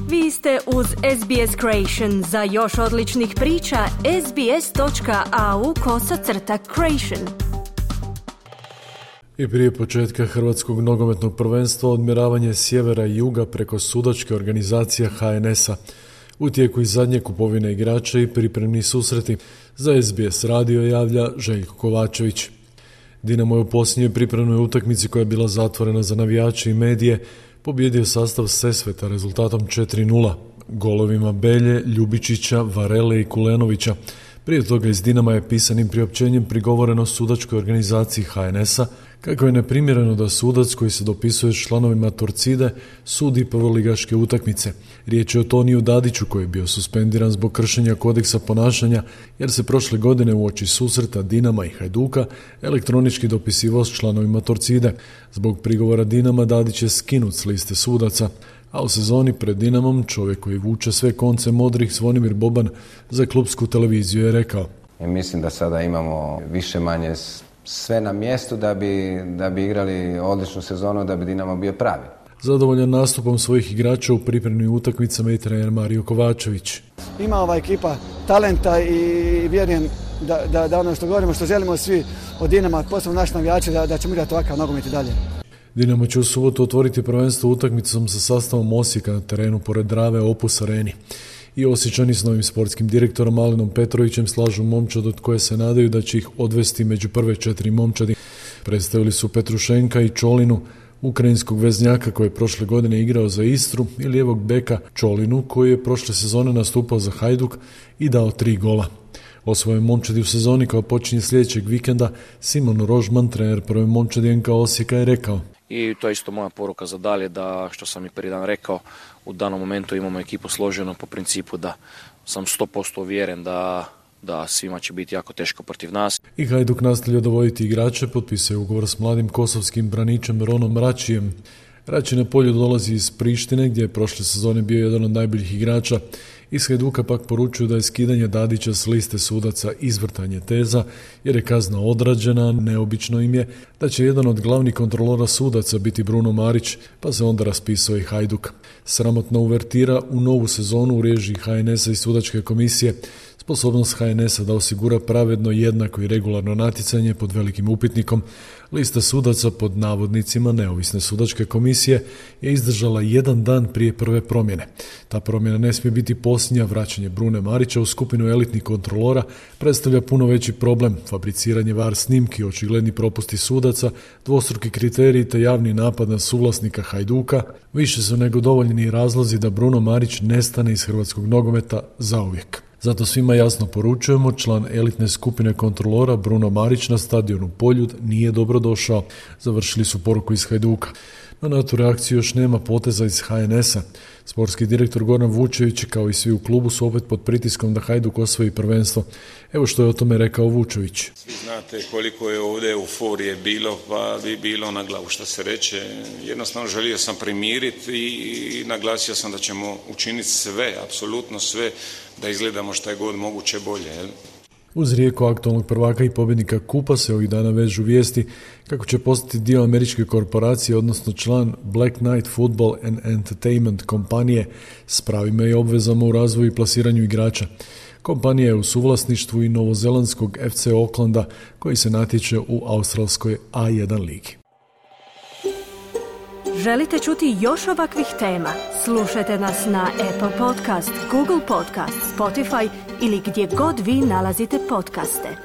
Vi ste uz SBS Creation. Za još odličnih priča, sbs.au/creation. I prije početka Hrvatskog nogometnog prvenstva odmjeravanje sjevera i juga preko sudačke organizacije HNS-a. U tijeku i zadnje kupovine igrača i pripremni susreti. Za SBS radio javlja Željko Kovačević. Dinamo je u posljednjoj pripremnoj utakmici koja je bila zatvorena za navijače i medije pobjedio sastav Sesveta rezultatom 4:0, golovima Belje, Ljubičića, Varele i Kulenovića. Prije toga iz Dinama je pisanim priopćenjem prigovoreno sudačkoj organizaciji HNS-a kako je neprimjereno da sudac koji se dopisuje s članovima Torcide sudi prvoligaške utakmice. Riječ je o Toniju Dadiću koji je bio suspendiran zbog kršenja kodeksa ponašanja jer se prošle godine uoči susreta Dinama i Hajduka elektronički dopisivao s članovima Torcide. Zbog prigovora Dinama Dadić je skinut s liste sudaca, a u sezoni pred Dinamom čovjek koji vuče sve konce modrih Zvonimir Boban za klupsku televiziju je rekao: Mislim da sada imamo više manje sve na mjestu da bi igrali odličnu sezonu, da bi Dinamo bio pravi. Zadovoljan nastupom svojih igrača u pripremnim utakmicama i trener Mario Kovačević. Ima ova ekipa talenta i vjerujem da ono što govorimo, što želimo svi od Dinama, posebno naši navijači, da ćemo igrati ovakav nogomet i dalje. Dinamo će u subotu otvoriti prvenstvo utakmicom sa sastavom Osijeka na terenu pored Drave Opus Areni. I Osječani s novim sportskim direktorom Alenom Petrovićem slažu momčad od koje se nadaju da će ih odvesti među prve 4 momčadi. Predstavili su Petrušenka i Čolinu, ukrajinskog veznjaka koji je prošle godine igrao za Istru, i lijevog beka Čolinu koji je prošle sezone nastupao za Hajduk i dao 3 gola. O svojoj momčadi u sezoni koja počinje sljedećeg vikenda Simon Rožman, trener prve momčadi NK Osijeka, je rekao: I to je isto moja poruka za dalje, da što sam i prvi dan rekao, u danom momentu imamo ekipu složenu po principu da sam 100% uvjeren da svima će biti jako teško protiv nas. I Hajduk nastavlja dovoditi igrače, potpisuje ugovor s mladim kosovskim braničem Ronom Račijem. Rači na polju dolazi iz Prištine gdje je prošle sezone bio jedan od najboljih igrača. Iz Hajduka pak poručuju da je skidanje Dadića s liste sudaca izvrtanje teza jer je kazna odrađena. Neobično im je da će jedan od glavnih kontrolora sudaca biti Bruno Marić, pa se onda raspisao i Hajduk. Sramotna uvertira u novu sezonu u režiji HNS-a i sudačke komisije. Sposobnost HNS-a da osigura pravedno, jednako i regularno natjecanje pod velikim upitnikom. Lista sudaca pod navodnicima neovisne sudačke komisije je izdržala jedan dan prije prve promjene. Ta promjena ne smije biti posljednja. Vraćanje Brune Marića u skupinu elitnih kontrolora predstavlja puno veći problem. Fabriciranje VAR snimki, očigledni propusti sudaca, dvostruki kriteriji te javni napad na suvlasnika Hajduka više su nego dovoljni razlozi da Bruno Marić nestane iz hrvatskog nogometa zauvijek. Zato svima jasno poručujemo, član elitne skupine kontrolora Bruno Marić na stadionu Poljud nije dobro došao. Završili su poruku iz Hajduka. Na tu reakciju još nema poteza iz HNS-a. Sportski direktor Goran Vučević kao i svi u klubu su opet pod pritiskom da Hajduk osvoji prvenstvo. Evo što je o tome rekao Vučević. Svi znate koliko je ovdje euforije bilo, pa bi bilo na glavu što se reče. Jednostavno želio sam primiriti i naglasio sam da ćemo učiniti sve, apsolutno sve, da izgledamo što je god moguće bolje. Jel? Uz Rijeku aktualnog prvaka i pobjednika kupa se ovih dana vežu vijesti kako će postati dio američke korporacije, odnosno član Black Knight Football and Entertainment kompanije s pravima i obvezama u razvoju i plasiranju igrača. Kompanija je u suvlasništvu i novozelandskog FC Aucklanda koji se natječe u australskoj A1 ligi. Želite čuti još ovakvih tema? Slušajte nas na Apple Podcast, Google Podcast, Spotify ili gdje god vi nalazite podcaste.